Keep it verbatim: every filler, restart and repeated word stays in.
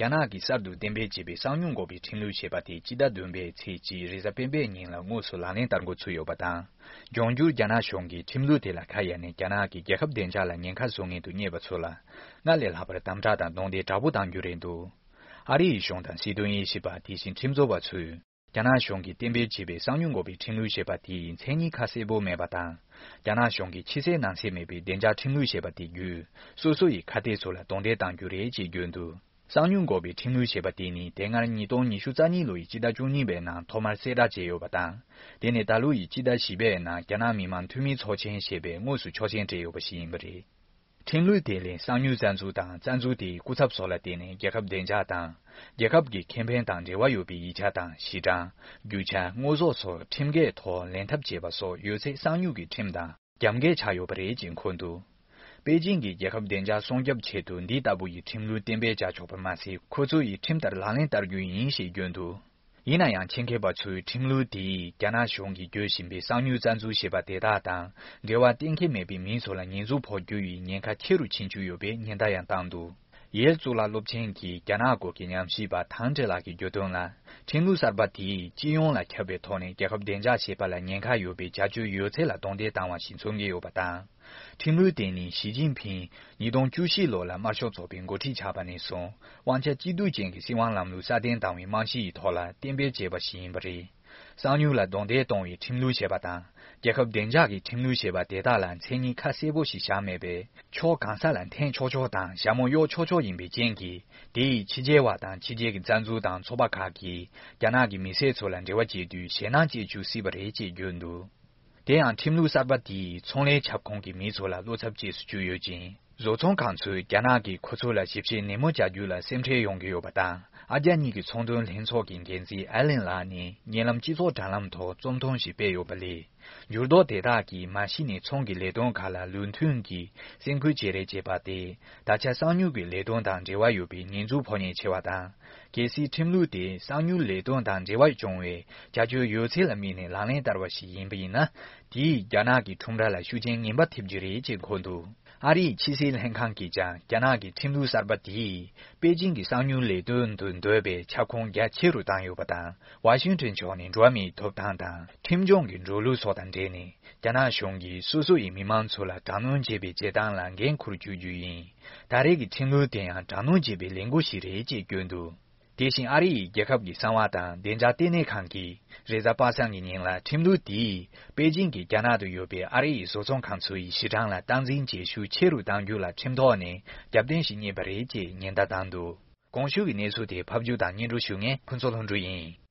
རྒྱ་ནག་གིས་གསར་དུ་གཏན་འབེབས་བྱས་པའི་གསང་མྱུལ་འགོག་པའི་ཁྲིམས་ལུགས་ཞེས་པ་དེ་སྤྱི་ཟླ་བདུན་པའི་ཚེས་གཅིག་རེས་གཟའ་སྤེན་པའི་ཉིན་ལ་དངོས་སུ་ལག་ལེན་བསྟར་འགོ་ཚུགས་ཡོད་པ་དང་། འབྱུང་འགྱུར་རྒྱ་ནག་གཞུང་གིས་ཁྲིམས་ལུགས་དེ་ལ་ཁ་གཡར་ནས་རྒྱ་ནག་གི་རྒྱལ་ཁབ་བདེ་འཇགས་ལ་ཉེན་ཁ་བཟོ་མཁན་དུ་རྙེད་པ་ཚོ་ལ། སྔར་ལས་ལྷག་པར་དམ་དྲག་དང་རྡུང་རྡེག་དྲག་པོ་གཏང་རྒྱུ་རེད་འདུག་ཨ་རི་ཡི་གཞུང་དང་སྲིད་དོན་དབྱེ་ཞིབ་པ། དེ་བཞིན་ཁྲིམས་བཟོ་བ་ཚོས། རྒྱ་ནག་གཞུང་གིས་གཏན་འབེབས་བྱས་པའི་གསང་མྱུལ་འགོག་པའི་ཁྲིམས་ལུགས་ཞེས་པ་དེའི་མཚན་ཉིད་ཁ་གསལ་པོ་མེད་པ་དང་། རྒྱ་ནག་གཞུང་གིས་ཕྱི་གསལ་ནང་གསལ་མེད་པའི་བདེ་འཇགས་ཁྲིམས་ལུགས་ཞེས་པ་དེ་བརྒྱུད། སོ་སོ་ཡི་ཁ་གཏད་ཚོ་ལ་རྡུང་རྡེག་གཏང་རྒྱུ་རེད་ཅེས་བརྗོད་འདུག་གསང་མྱུལ་འགོག་པའི་ཁྲིམས་ལུགས་ཞེས་པ་དེ་ནི་དེ་སྔར་ཉིས་སྟོང་ཉི་ཤུ་རྩ་གཉིས་ལོ་ཡི་སྤྱི་ཟླ་བཅུ་གཉིས་པའི་ནང་ཐོག་མར་གསལ་བསྒྲགས་བྱས་ཡོད་པ་དང་། དེ་ནས་ད་ལོ་ཡི་སྤྱི་ཟླ་བཞི་པའི་ནང་རྒྱ་ནག་མི་དམངས་འཐུས་མིའི་ཚོགས་ཆེན་ཞེས་པས་དངོས་སུ་ཆོག་མཆན་སྤྲད་ཡོད་པ་ཞིག་ཡིན་པ་རེད། ཁྲིམས་ལུགས་དེ་ལས་གསང་མྱུལ་རྩ་འཛུགས་དང་རྩ་འཛུགས་དེའི་སྐུ་ཚབ་སོགས་ལ་བརྟེན་ནས་རྒྱལ་ཁབ་བདེ་འཇགས་དང་། རྒྱལ་ཁབ་ཀྱི་ཁེ་ཕན་དང་འབྲེལ་བ་ཡོད་པའི་ཡིག་ཆ་དང་གཞི་གྲངས། རྒྱུ་ཆ། དངོས་ཟོག་སོགས་ཁྲིམས་འགལ་ཐོག་ལེན་ཐབས་བྱས་པ་སོགས་ཡོད་ཚད་གསང་མྱུལ་གྱི་ཁྲིམས་དང་རྒྱབ་འགལ་ཆགས་ཡོད་པ་རེད་ཅེས་འཁོད་འདུག་པེ་ཅིང་གིས་རྒྱལ་ཁབ་བདེ་འཇགས་སྲུང་སྐྱོབ་ཆེད་དུ་འདི་ལྟ་བུ་ཡི་ཁྲིམས་ལུགས་གཏན་འབེབས་བྱ་ཆོག་པ་མ་ཟད། ཁོ་ཚོ་ཡི་ཁྲིམས་ལྟར་ལག་ལེན་བསྟར་རྒྱུ་ཡིན་ཞེས་བརྗོད་འདུག་ཡིན་ན་ཡང་། ཆེད་མཁས་པ་ཚོས་ཁྲིམས་ལུགས་དེས་རྒྱ་ནག་གཞུང་གིས་བརྗོད་བཞིན་པའི་གསང་མྱུལ་རྩ་འཛུགས་ཞེས་པ་དེ་དག་དང་འབྲེལ་བ་གཏན་འཁེལ་མེད་པའི་མི་ཚོ་ལ་ཉེས་འཛུགས་ཕོག་རྒྱུ་ཡི་ཉེན་ཁ་ཆེ་རུ་ཕྱིན་བཅུག་ཡོད་པའི་ཉེན་བརྡ་ཡང་བཏང་འདུག་ཡེལ་གཙུག་ལག་སློབ་ཆེན་གྱི་རྒྱ་ནག་སྐོར་གྱི་ཉམས་ཞིབ་པ་ཐང་ཀྲེ་ལགས་ཀྱིས་བརྗོད་དོན་ལ། ཁྲིམས་ལུགས་གསར་པ་དེས་སྤྱི་ཡོངས་ལ་ཁྱབ་པའི་ཐོག་ནས་རྒྱལ་ཁབ་བདེ་འཇགས་ཞེས་པ་ལ་ཉེན་ཁ་ཡོད་པའི་བྱ་སྤྱོད་ཡོད་ཚད་ལ་རྡུང་རྡེག་བཏང་བ་ཞིག་མཚོན་གྱི་ཡོད་པ་དང་། ཁྲིམས་ལུགས་དེ་ནི་ཞི་ཅིན་ཕིང་ཉིས་སྟོང་བཅུ་བཞི་ལོ་ལ་དམར་ཤོག་ཚོགས་པའི་འགོ་ཁྲིད་ཆགས་པ་ནས་བཟུང་དབང་ཆ་གཅིག་སྡུད་ཅན་གྱི་སྲིད་དབང་ལམ་ལུགས་སྲ་བརྟན་བཏང་བའི་རྨང་གཞི་ཡི་ཐོག་ལ་གཏན་འབེབས་བྱས་པ་ཞིག་ཡིན་པ་རེད། གསང་མྱུལ་ལ་རྡུང་རྡེག་གཏོང་བའི་ཁྲིམས་ལུགས་ཞེས་པ་དང་། རྒྱལ་ཁབ་བདེ་འཇགས་ཀྱི་ཁྲིམས་ལུགས་ཞེས་པ་དེ་དག་ལ་མཚན་ཉིད་ཁ་གསལ་པོ་ཞིག་བཞག་མེད་པས། ཕྱོགས་གང་ས་ལ་འཐེན་ཆོག་ཆོག་དང་ཞྭ་མོ་གཡོག་ཆོག་ཆོག་ཡིན་པའི་རྐྱེན་གྱིས། དེ་ཡིས་ཕྱི་རྒྱལ་བ་དང་ཕྱི་རྒྱལ་གྱི་རྩ་འཛུགས་དང་ཚོགས་པ་ཁག་གིས་རྒྱ་ནག་གི་མི་སེར་ཚོ་ལ་འབྲེལ་བ་བྱེད་དུས་ཞེད་སྣང་སྐྱེ་བཅུག་སྲིད་པ་རེད་ཅེས་བརྗོད་འདུག་དེ་ཡང་ཁྲིམས་ལུགས་གསར་པ་དེས་ཚོང་ལས་ཁྱབ་ཁོངས་ཀྱི་མི་ཚོ་ལ་བློ་འཚབ་སྐྱེས་སུ་བཅུག་ཡོད་ཅིང་། བཟོ་ཚོང་ཁང་ཚོས་རྒྱ་ནག་གིས་ཁོ་ཚོ་ལ་ཞིབ་བཤེར་ནན་མོ་བྱ་རྒྱུ་ལ་སེམས་ཁྲལ་ཡོང་གི་ཡོད་པ་དང་། ཨ་རྒྱ་གཉིས་ཀྱི་ཚོང་དོན་ལྷན་ཚོགས་ཀྱི་འགན་འཛིན་ཨ་ལན་ལགས་ནས་ཉེ་ལམ་སྤྱི་ཚོགས་དྲ་ལམ་ཐོག་རྩོམ་ཐུང་ཞིག་སྤེལ་ཡོད་པ་ལས། འགྱུར་ལྡོག་དེ་དག་གིས་མ་གཞི་ནས་ཚོང་གི་ལས་དོན་ཁག་ལ་ལུགས་མཐུན་གྱིས་སེམས་ཁུར་བྱེད་རེས་བྱེད་པ་སྟེ། ད་ཆ་གསང་མྱུལ་གྱི་ལས་དོན་དང་འབྲེལ་བ་ཡོད་པའི་ཉེས་འཛུགས་ཕོག་ཉེན་ཆེ་བ་དང་། གལ་སྲིད་ཁྲིམས་ལུགས་དེ་གསང་མྱུལ་ལས་དོན་དང་འབྲེལ་བ་བྱུང་བའི་བྱ་སྤྱོད་ཡོད་ཚད་ལ་དམིགས་ནས་ལག་ལེན་བསྟར་བ་ཞིག་ཡིན་པ་ཡིན་ན། དེས་རྒྱ་ནག་གི་ཁྲོམ་ར་ལ་ཤུགས་རྐྱེན་ངན་པ་ཐེབས་རྒྱུ་རེད་ཅེས་འཁོད་འདུག་ཨ་རིའི་ཕྱི་སྲིད་ལྷན་ཁང་གིས་ཀྱང་རྒྱ་ནག་གི་ཁྲིམས་ལུགས་གསར་པ་དེས་པེ་ཅིང་གི་གསང་མྱུལ་ལས་དོན་དུ་འདོད་པའི་ཁྱབ་ཁོངས་རྒྱ་ཆེ་རུ་བཏང་ཡོད་པ་དང་། ཝ་ཤིང་ཏོན་ཕྱོགས་ནས་འགྲོ་བ་མིའི་ཐོབ་ཐང་དང་ཁྲིམས་སྐྱོང་གི་འགྲོ་ལུགས་སོགས་དང་འབྲེལ་ནས། རྒྱ་ནག་གཞུང་གིས་སོ་སོ་ཡི་མི་མང་ཚོ་ལ་དྲག་གནོན་བྱེད་པའི་བྱེད་སྟངས་ལ་འགན་འཁུར་བཅུག་རྒྱུ་ཡིན། ད་རེས་ཀྱི་ཁྲིམས་ལུགས་དེ་ཡང་དྲག་གནོན་བྱེད་པའི་ལས་འགུལ་ཞིག་རེད་ཅེས་བརྗོད་འདུག་དེ་བཞིན་ཨ་རི་ཡི་རྒྱལ་ཁབ་ཀྱི་གསང་བ་དང་བདེ་འཇགས་ལྟེ་གནས་ཁང་གིས་རེས་གཟའ་པ་སངས་ཀྱི་ཉིན་ལ་ཁྲིམས་ལུགས་དེས་པེ་ཅིང་གིས་རྒྱ་ནག་ཏུ་ཡོད་པའི་ཨ་རི་ཡི་བཟོ་ཚོང་ཁང་ཚོ་ཡི་གཞི་གྲངས་ལ་སྟངས་འཛིན་བྱེད་ཤུགས་ཆེ་རུ་གཏང་རྒྱུ་ལ་ཁྲིམས་ཐོག་ནས་རྒྱབ་རྟེན་ཞིག་རྙེད་པ་རེད་ཅེས་ཉེན་བརྡ་བཏང་འདུག་གོང་ཞུས་ཀྱི་གནས་ཚུལ་དེ་ཕབ་སྒྱུར་དང་སྙན་སྒྲོན་ཞུ་མཁན་ཕུན་ཚོགས་ལྷུན་གྲུབ་ཡིན།